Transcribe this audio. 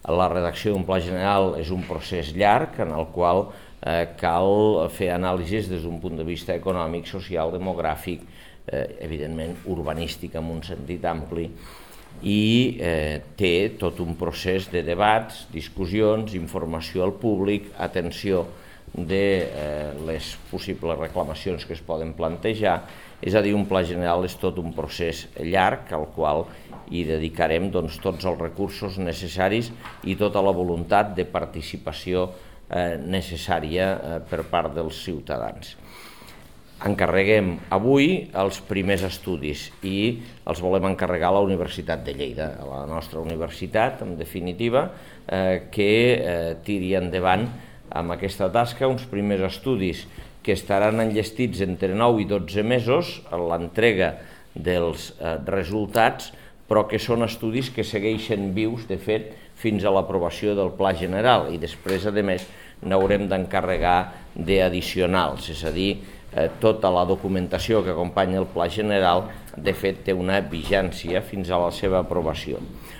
La redacció d'un pla general és un procés llarg en el qual cal fer anàlisis des d'un punt de vista econòmic, social, demogràfic, evidentment urbanístic en un sentit ampli, i té tot un procés de debats, discussions, informació al públic, atenció de les possibles reclamacions que es poden plantejar. És a dir, un pla general és tot un procés llarg al qual hi dedicarem tots els recursos necessaris i tota la voluntat de participació necessària per part dels ciutadans. Encarreguem avui els primers estudis i els volem encarregar a la Universitat de Lleida, a la nostra universitat, en definitiva, que tiri endavant amb aquesta tasca uns primers estudis que estaran enllestits entre 9 i 12 mesos en l'entrega dels resultats, però que són estudis que segueixen vius, de fet, fins a l'aprovació del Pla General, i després, a més, n'haurem d'encarregar d'addicionals, és a dir, tota la documentació que acompanya el Pla General, de fet, té una vigència fins a la seva aprovació.